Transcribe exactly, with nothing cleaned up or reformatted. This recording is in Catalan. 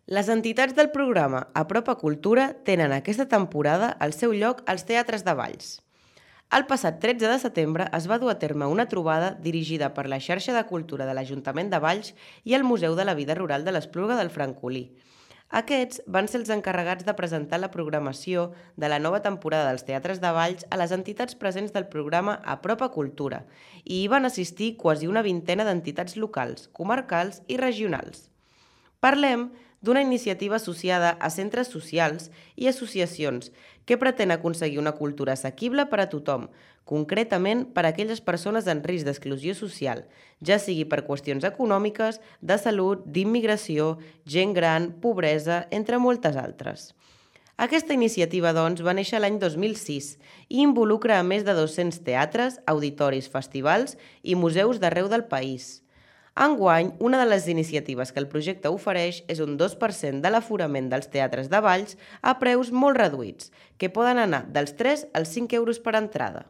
Les entitats del programa Apropa Cultura tenen aquesta temporada el seu lloc als teatres de Valls. El passat tretze de setembre es va dur a terme una trobada dirigida per la xarxa de cultura de l'Ajuntament de Valls i el Museu de la Vida Rural de l'Espluga del Francolí. Aquests van ser els encarregats de presentar la programació de la nova temporada dels teatres de Valls a les entitats presents del programa Apropa Cultura i hi van assistir quasi una vintena d'entitats locals, comarcals i regionals. Parlem d'una iniciativa associada a centres socials i associacions que pretén aconseguir una cultura assequible per a tothom, concretament per a aquelles persones en risc d'exclusió social, ja sigui per qüestions econòmiques, de salut, d'immigració, gent gran, pobresa, entre moltes altres. Aquesta iniciativa, doncs, va néixer l'any dos mil sis i involucra a més de dos-cents teatres, auditoris, festivals i museus d'arreu del país. Enguany, una de les iniciatives que el projecte ofereix és un dos per cent de l'aforament dels teatres de Valls a preus molt reduïts, que poden anar dels tres als cinc euros per entrada.